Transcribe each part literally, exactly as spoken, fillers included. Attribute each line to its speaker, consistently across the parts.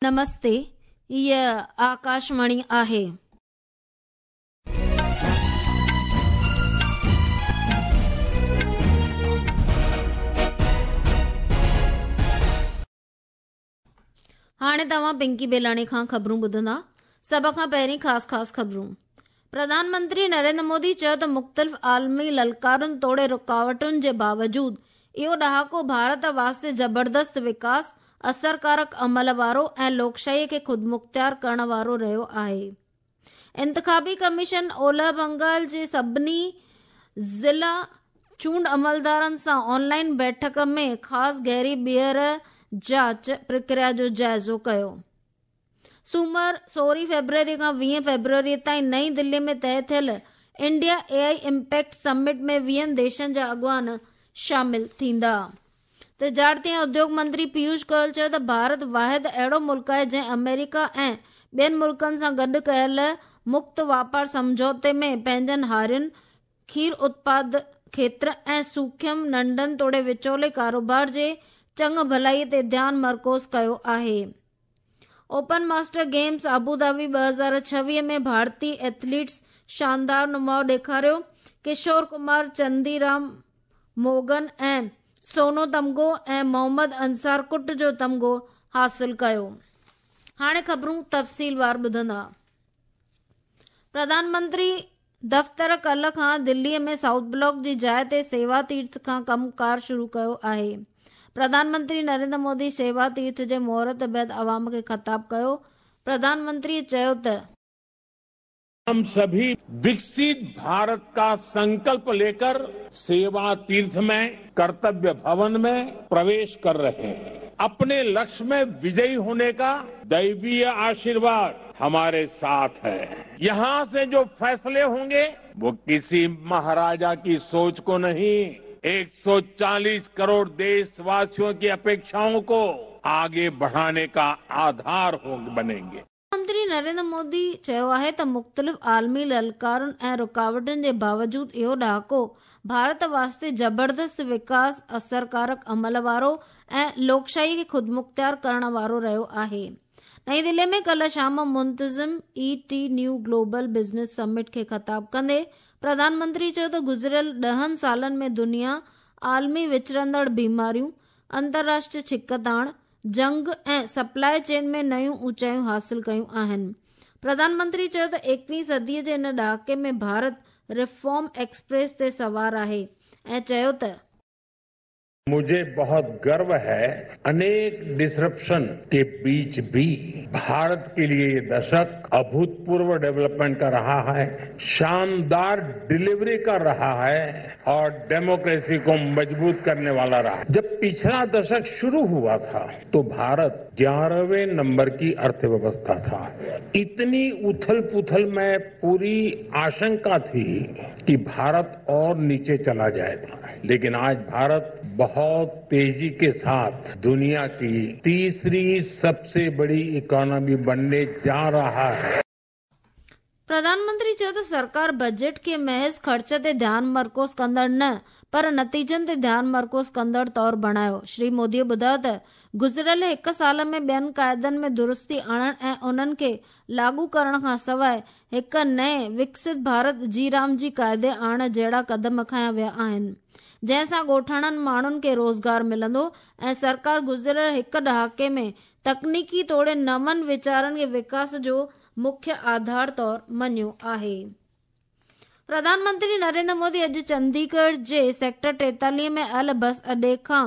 Speaker 1: नमस्ते, हीअ आकाशवाणी आहे। हाणे तव्हां पिंकी बेलाणी खां ख़बरूं ॿुधंदा। सभ खां पहिरीं ख़ासि ख़ासि ख़बरूं। प्रधानमंत्री नरेंद्र मोदी चयो त मुख़्तलिफ़ आलमी ललकारुनि तोड़े रुकावटुनि जे बावजूद इहो ॾहाको भारत वास्ते ज़बरदस्त विकास, असरकारक अमल वारो ऐं लोकशाहीअ खे ख़ुदमुख़्तियार करण वारो रहियो आहे। इंतिख़ाबी कमीशन ओलह बंगाल जे सभिनी ज़िला चूंड अमलदारनि सां ऑनलाइन बैठक में ख़ासि गहरी ॿीहर जांच प्रक्रिया जो जाइज़ो कयो। सूमर सोरहं फेब्रुअरी खां वीह फेब्रुअरी ताईं नई दिल्ली में तय थियल India A I impact summit में वीहनि देशनि जा अॻुवान शामिल थींदा। तिजारती ऐं उद्योग मंत्री पीयूष गोयल चयो त भारत वाहिद अहिड़ो मुल्क आहे जंहिं अमेरिका ऐं ॿियनि मुल्कनि सां गॾु कयल मुक्त वापार सम्झौते में पंहिंजनि हारियुनि, खीर उत्पाद खेत्र ऐं सूखम, नंढनि तोड़े विचोले कारोबार जे चङ भलाई ते ध्यानु मरकूज़ कयो आहे। Open master games Abu Dhabi ॿ हज़ार छवीह में भारतीय एथलीट्स शानदार नुमाउ ॾेखारियो। किशोर कुमार, चंदीराम मोगन ऐं सोनो तमगो ऐं मोहम्मद अंसार कुट जो तमगो हासिल कयो। हाणे ख़बरूं तफ़सीलवार ॿुधंदा। प्रधानमंत्री दफ़्तर कल्ह खां दिल्लीअ में साउथ ब्लॉक जी जाइ ते सेवा तीर्थ खां कमु-कार शुरू कयो आहे। प्रधानमंत्री नरेंद्र मोदी सेवा तीर्थ जे मुहूर्त बाद अवाम खे ख़िताब कयो। प्रधानमंत्री चयो त
Speaker 2: हम सभी विकसित भारत का संकल्प लेकर सेवा तीर्थ में, कर्तव्य भवन में प्रवेश कर रहे हैं। अपने लक्ष्य में विजयी होने का दैवीय आशीर्वाद हमारे साथ है। यहाँ से जो फैसले होंगे वो किसी महाराजा की सोच को नहीं, एक सौ चालीस करोड़ देशवासियों की अपेक्षाओं को आगे बढ़ाने का आधार होंगे बनेंगे।
Speaker 1: मंत्री नरेंद्र मोदी चयो आहे त मुख़्तलिफ़ आलमी ललकारुनि ऐं रुकावटुनि जे बावजूद इहो ॾहाको भारत वास्ते ज़बरदस्त विकास, असरकारक अमल वारो ऐं लोकशाही खे ख़ुदमुख़्तियार करण वारो रहियो आहे। नई दिल्ली में कल्ह शाम मुंतज़िम E T new global business summit खे ख़िताब कंदे प्रधानमंत्री चयो त गुज़िरियल ॾहनि सालनि में दुनिया आलमी विचरंदड़ बीमारियूं, अंतर्राष्ट्रीय छिकताण, जंग ऐं सप्लाई चेन में नयूं ऊंचाइयूं हासिल कयूं आहिनि। प्रधानमंत्री चयो त एकवीं सदीअ जे हिन ॾहाके में भारत रिफॉर्म एक्सप्रेस ते सवार आहे ऐं चयो त
Speaker 2: मुझे बहुत गर्व है, अनेक डिसरप्शन के बीच भी भारत के लिए ये दशक अभूतपूर्व डेवलपमेंट का रहा है, शानदार डिलीवरी का रहा है और डेमोक्रेसी को मजबूत करने वाला रहा। जब पिछला दशक शुरू हुआ था तो भारत ग्यारहवें नंबर की अर्थव्यवस्था था। इतनी उथल पुथल में पूरी आशंका थी कि भारत और नीचे चला जाएगा, लेकिन आज भारत बहुत तेजी के साथ दुनिया की तीसरी सबसे बड़ी इकोनॉमी बनने जा रहा है।
Speaker 1: प्रधानमंत्री चयो त सरकार बजट खे महज़ ख़र्च ते ध्यानु मरकूज़ कंदड़ न पर नतीजनि ते ध्यानु मरकूज़ कंदड़ तौर बणायो। श्री मोदीअ ॿुधायो त गुज़िरियल हिकु साल में ॿियनि क़ाइदनि में दुरुस्ती आणण ऐं उन्हनि खे लागू करण खां सवाइ हिकु नए विकसित भारत जी राम जी क़ाइदे आणण जहिड़ा क़दम खयां विया आहिनि, जंहिं सां ॻोठाणनि माण्हुनि खे रोज़गार मिलंदो ऐं सरकार गुज़िरियल हिकु ॾहाके में तकनीकी तोड़े नवनि वीचारनि खे विकास जो मुख्य आधार तौर मञियो आहे। प्रधानमंत्री नरेंद्र मोदी अॼु चंडीगढ़ जे सेक्टर टेतालीह में आयल बस अॾे खां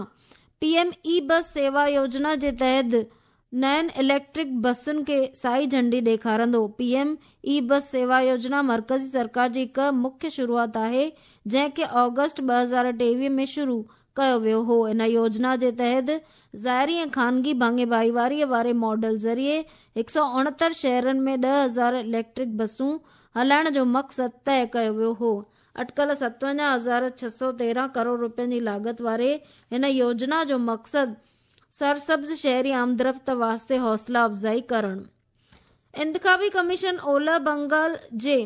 Speaker 1: पीएम ई बस सेवा योजना जे तहत नयनि इलेक्ट्रिक बसुनि खे साई झंडी ॾेखारंदो। पीएम ई बस सेवा योजना मर्कज़ी सरकार जी हिकु मुख्य शुरूआत आहे, जंहिंखे ऑगस्ट ॿ हज़ार टेवीह में शुरू कयो वियो हो। इन योजना जे तहत ज़ाहिरी ऐं ख़ानगी भाङे भाईवारीअ वारे मॉडल ज़रिए हिकु सौ उणहतरि शहरनि में ॾह हज़ार इलेक्ट्रिक बसूं हलाइण जो मक़सदु तय कयो वियो हो। अटकल सतवंजाह हज़ार छह सौ तेरहं करोड़ रुपयनि जी लागत वारे हिन योजना जो मक़सदु सरसब्ज़ शहरी आमदरफ़्त वास्ते हौसला अफ़ज़ाई करणु। इंतिख़ाबी कमीशन ओलह बंगाल जे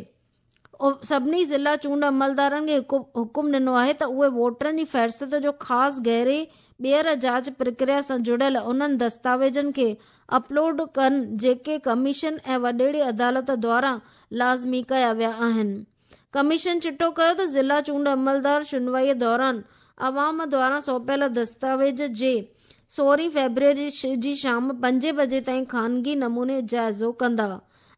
Speaker 1: सभिनी ज़िला चूंड अमलदारनि खे हुकुम ॾिनो आहे त उहे वोटरनि जी फ़हरिस्त जो ख़ासि गहरे ॿीहर जांच प्रक्रिया सां जुड़ियल उन्हनि दस्तावेज़नि खे अपलोड कनि जेके कमीशन ऐं वॾेड़ी अदालत द्वारा लाज़मी कया विया आहिनि। कमीशन चिटो कयो त ज़िला चूंड अमलदार शुनवाईअ दौरान अवाम द्वारा सौंपियल दस्तावेज़ जे सोरहं फरवरी जी शाम पंजे बजे ताईं ख़ानगी नमूने जाइज़ो कंदा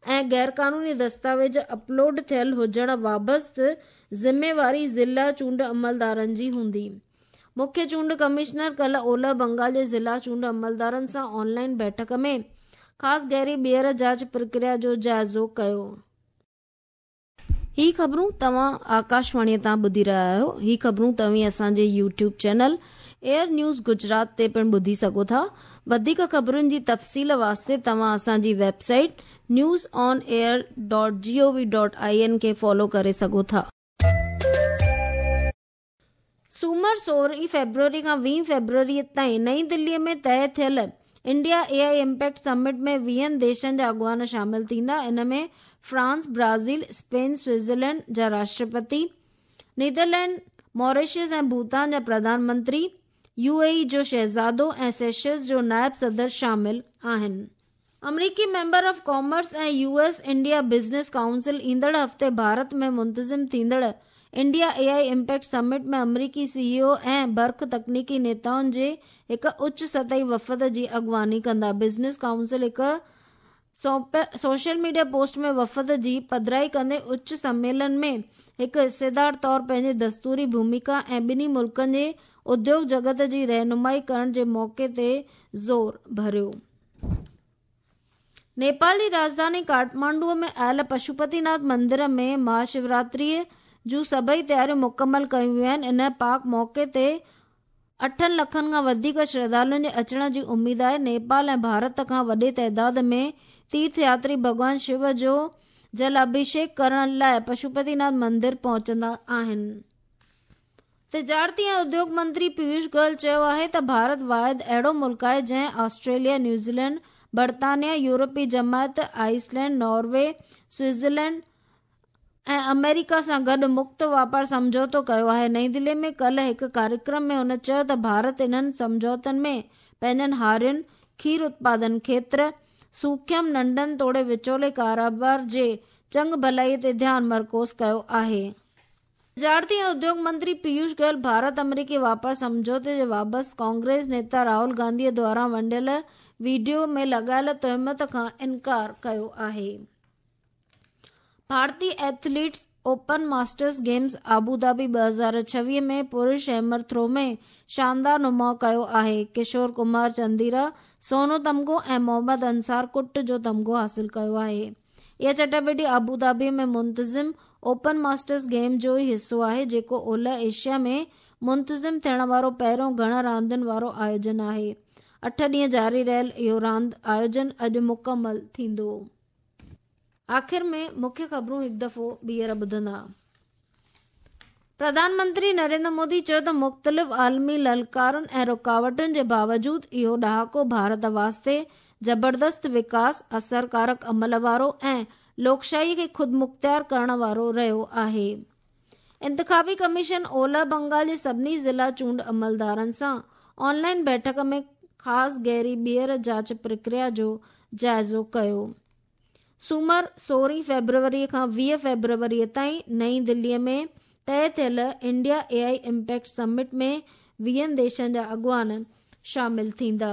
Speaker 1: ऐं ग़ैरक़ानूनी दस्तावेज़ अपलोड थियल हुजण वाबस्त ज़िम्मेवारी ज़िला चूंड अमलदारनि जी हूंदी। मुख्य चूंड कमिश्नर कल ओलह बंगाल जे ज़िला चूंड अमलदारनि सां ऑनलाइन बैठक में ख़ासि गहरी ॿीहर जांच प्रक्रिया जो जाइज़ो कयो। ही ख़बरूं तव्हां आकाशवाणीअ तां ॿुधी रहिया आहियो। ही ख़बरूं तव्हीं असांजे YouTube channel Air News Gujarat ते पिणु ॿुधी सघो था। वधीक ख़बरुनि जी तफ़सील वास्ते तव्हां असांजी website news on air dot G O V dot I N खे फॉलो करे सघो था। सूमर सोरहं फरवरी खां वीह फरवरी ताईं नई दिल्लीअ में तय थियल India A I impact summit में वीहनि देशनि जा अॻुवान शामिल थींदा। इन में फ्रांस, ब्राज़ील, स्पेन, स्विट्ज़रलैंड जा राष्ट्रपति, नीदरलैंड, मॉरिशस ऐं भूटान जा प्रधानमंत्री, यू ए ई जो शहज़ादो ऐं सेशल्स जो नायब सदर शामिल आहिनि। अमरीकी मेंबर ऑफ कॉमर्स ऐं U S India business council ईंदड़ हफ़्ते भारत में मुंतज़िम थींदड़ India A I impact summit में अमरीकी सी ई ओ ऐं बर्ख तकनीकी नेताउनि जे हिकु उच्च सतही वफ़द जी अॻुवानी कंदा। बिज़नेस काउंसिल हिकु सोशल मीडिया पोस्ट में वफ़द जी पधराई कंदे उच्च सम्मेलन में हिकु हिस्सेदार तौर पंहिंजी दस्तूरी भूमिका ऐं ॿिन्ही मुल्कनि जे उद्योग जगत जी रहनुमाई करण जे मौक़े ते ज़ोर भरियो। नेपाल जी राजधानी काठमांडूअ में आयल पशुपतिनाथ मंदिर में महाशिवरात्रीअ जूं सभई तयारियूं मुकमल कयूं वियूं आहिनि। इन पाक मौक़े ते अठनि लखनि खां वधीक श्रद्धालुनि जे अचण जी उमेद आहे। नेपाल ऐं भारत खां वॾे तादाद में तीर्थ यात्री भॻवान शिव जो जल अभिषेक करण लाइ पशुपतिनाथ मंदिर पहुचंदा आहिनि। तिजारती ऐं उद्योग मंत्री पीयूष गोयल चयो आहे त भारत वाहिद अहिड़ो मुल्क आहे जंहिं ऑस्ट्रेलिया, न्यूज़ीलैंड, बर्तानिया, यूरोपी जमायत, आइसलैंड, नॉर्वे, स्विट्ज़रलैंड ऐं अमेरिका सां गॾु मुक्त वापार सम्झौतो कयो आहे। नई दिल्ली में कल हिकु कार्यक्रम में हुन चयो त भारत इन्हनि सम्झौतनि में पंहिंजनि हारियुनि, खीर उत्पादन क्षेत्र, सूखम, नंढनि तोड़े विचोले कारोबार जे चंग भलाई ते ध्यानु मरकूज़ कयो आहे। तिजारती ऐं उद्योग मंत्री पीयूष गोयल भारत अमरीकी वापार सम्झौते जे वापसि कांग्रेस नेता राहुल गांधीअ द्वारा वंडियल वीडियो में लॻायल तोहमत खां इनकार कयो आहे। भारतीय athletes open masters games Abu Dhabi ॿ हज़ार छवीह में पुरुष हैमर थ्रो में शानदार नुमाउ कयो आहे। किशोर कुमार चंदीरा सोनो तमगो ऐं मोहम्मद अंसार कुट जो तमगो हासिल कयो आहे। इहा चटापटी आबू धाबी में मुंतज़िम ओपन मास्टर्स गेम जो ई हिसो आहे, जेको ओलह एशिया में मुंतज़िम थियण वारो पहिरियों घण रांदियुनि वारो आयोजन आहे। अठ ॾींहं जारी रहियल इहो रांदि आयोजन अॼु मुकमल थींदो। आख़िर में मुख्य ख़बरूं हिकु दफ़ो ॿीहर ॿुधंदा। प्रधानमंत्री नरेंद्र मोदी चयो त मुख़्तलिफ़ आलमी ललकारुनि ऐं रुकावटुनि जे बावजूद इहो ॾहाको भारत वास्ते ज़बरदस्त विकास, असरकारक अमल वारो ऐं लोकशाही खे ख़ुदमुख़्तियार करण वारो रहियो आहे। इंतिख़ाबी कमीशन ओलह बंगाल जे सभिनी ज़िला चूंड अमलदारनि सां ऑनलाइन बैठक में ख़ासि गहरी ॿीहर जांच प्रक्रिया जो जाइज़ो कयो। सूमर सोरहं फरवरी खां वीह फरवरी ताईं नई दिल्लीअ में तय थियल India A I impact summit में वीहनि देशनि जा अॻुवान शामिल थींदा।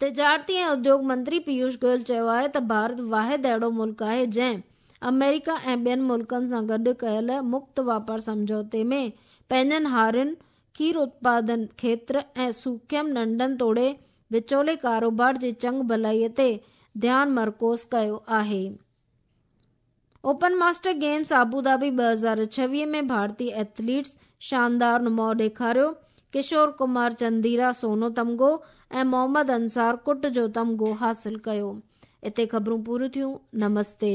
Speaker 1: तिजारती ऐं उद्योग मंत्री पीयूष गोयल चयो आहे त भारत वाहिद अहिड़ो मुल्क आहे जंहिं अमेरिका ऐं ॿियनि मुल्कनि सां गॾु कयल मुक्त वापार सम्झौते में पंहिंजनि हारियुनि, खीर उत्पादन क्षेत्र ऐं सूखम, नंढनि तोड़े विचोले कारोबार जे चंग भलाईअ ते ध्यानु मरकूज़ कयो आहे। Open master games Abu Dhabi ॿ हज़ार छवीह में भारतीय एथलीट्स शानदार नुमाउ ॾेखारियो। किशोर कुमार चंदीरा सोनो तमगो ऐं मोहम्मद अंसार कुट जो तमगो हासिल कयो। हिते ख़बरूं पूरियूं थियूं। नमस्ते।